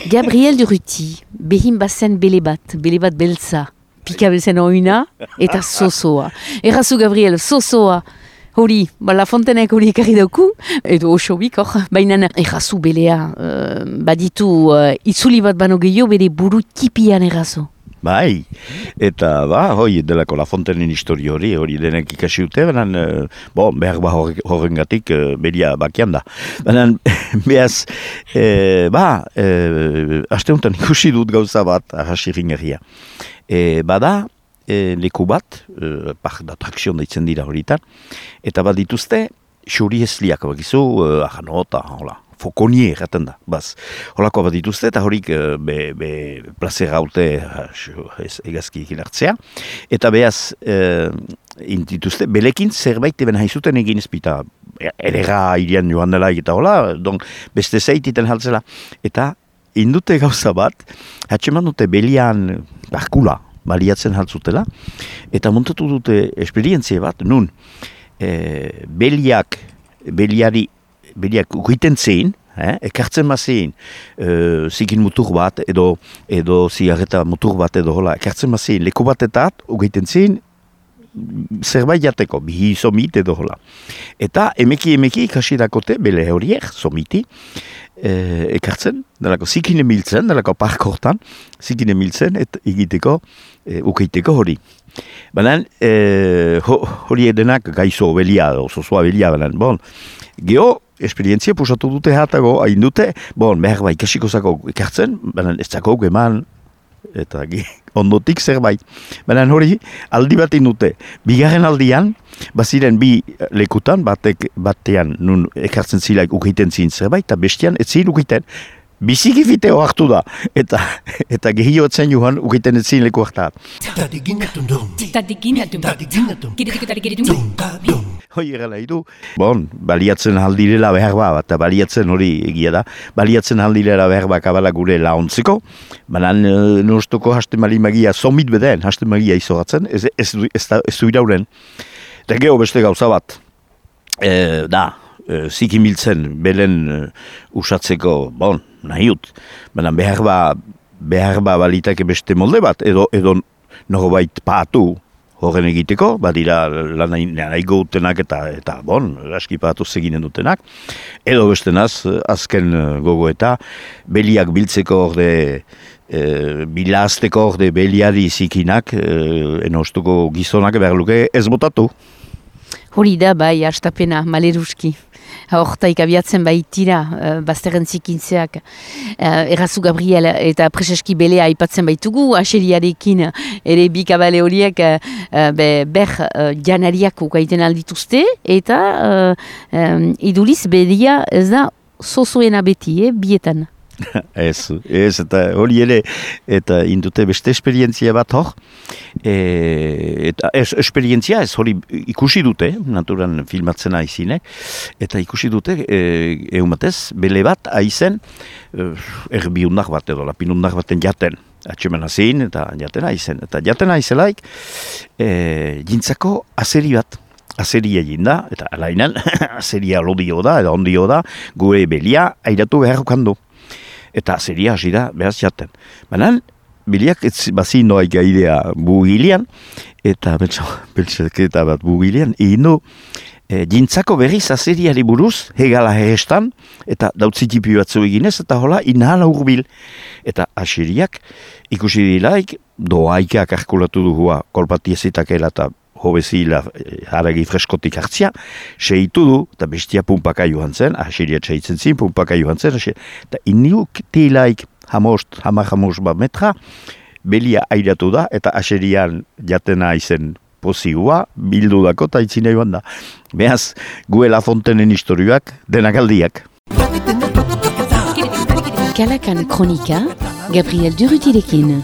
Gabriel Durruti, behin bazen bele bat beltza, pika bezen oina, eta zozoa. Errazu Gabriel, zozoa. Hori, La Fontenek hori ekarri dauku, edo osobik, baina errazu belea, baditu itzuli bat bano gehiago bere buru tipian errazu. Bai, eta hoi delako La Fontenen histori hori denek ikasi dute, baina, behar horrengatik beria bakian da. Baina, behaz, aste honetan ikusi dut gauza bat, ahasi ringerria. Bada, leku bat, park d'atrakzion deitzen dira horietan, eta bat dituzte, xuri esliak bakizu, ahanota, hola. Fokonie erraten da, holako bat dituzte, eta horik plazera haute egazki hilartzea. Eta behaz, intituzte, belekin zerbait eben haizuten egin ezpita, erera irian joan dela eta hola, beste zeititen haltzela. Eta indute gauza bat, hatxeman dute belian barkula baliatzen haltzutela, eta montatu dute esperientzia bat, nun, beliak ugiten zein, ekartzen mazein, zikin mutur bat, edo zigarreta mutur bat, edo hola, ekartzen mazein, leku batetat, ugiten zein, zerbait jateko, bihi somit edo hola. Eta emeki ikasi dakote, bele horiek, somiti, ekartzen, dalako zikin emiltzen, dalako park hortan, zikin emiltzen, eta egiteko, ukeiteko hori. Baina, hori edenak gaizo belia, osozoa belia, baina, geho, esperientzia pusatu dute hatago, hain dute, behar ikasiko zako ekartzen, baina ez zako eman, eta ondotik zerbait. Baina hori, aldi bat indute. Bigarren aldian, baziren bi lekutan, batean nun ekartzen zilaik ukiten zin zerbait, eta bestian ez zin ukiten. Biziki fiteo hartu da, eta gehiotzen joan ukiten ez zin leku hartat. Hoi egala idu. Baliatzen aldirela behar eta baliatzen hori egia da, baliatzen aldirela behar kabala gure laontzeko, baina nustuko hasten magia somit beden, hasten magia izogatzen, ez du irauren. Eta geho beste gauza bat, zikimiltzen belen usatzeko, nahiut, baina behar balitake beste molde bat, edo norbait paatu, horren egiteko, badira nahigo utenak eta aski patu zeginen dutenak, edo bestenaz, azken gogo eta beliak biltzeko orde, bilazteko orde beliari zikinak, enostuko gizonak behar luke ez botatu. Hori da, bai, hastapena, maleruski. Hortaik abiatzen baitira, bazterren zikintzeak, errazu Gabriel eta preseski belea aipatzen baitugu, aseriarekin ere bi kabale horiek ber janariak ukaiten aldituzte, eta iduliz belia ez da zozoena beti, bietan. Ez, eta hori ere, eta indute beste esperientzia bat hor, eta esperientzia ez hori ikusi dute, naturan filmatzen aizinek, eta ikusi dute, eumatez, bele bat aizen, erbiundak bat edo, lapinundak baten jaten, atxeman azin, eta jaten aizen, eta jaten aizelaik, jintzako azeri bat, azeria egin da, eta alainan, azeria lodio da, edo ondio da, gure belia airatu beharrukandu. Eta azeria hasi da, behaz jaten. Baina, biliak bazi noaik gaidea bugilean, eta beltzaketa bat bugilean, ino, jintzako berriz azeriari buruz, hegala hehestan, eta dautzitipi batzu eginez, eta hola, inhala urbil. Eta aseriak ikusi dilaik, doaikak arkulatu duhua, kolpatiezitakela eta hobezila haragi freskotik hartzia, seitu du, eta bestia pumpaka joan zen, aseria txaitzen zin, pumpaka joan zen, eta iniuk tilaik hamar bat metra, belia airatu da, eta aserian jatena izen pozigua, bildu dako, eta itzina joan da. Behaz, gue La Fontenen historioak, denak aldiak. Kalakan kronika, Gabriel Durrutirekin.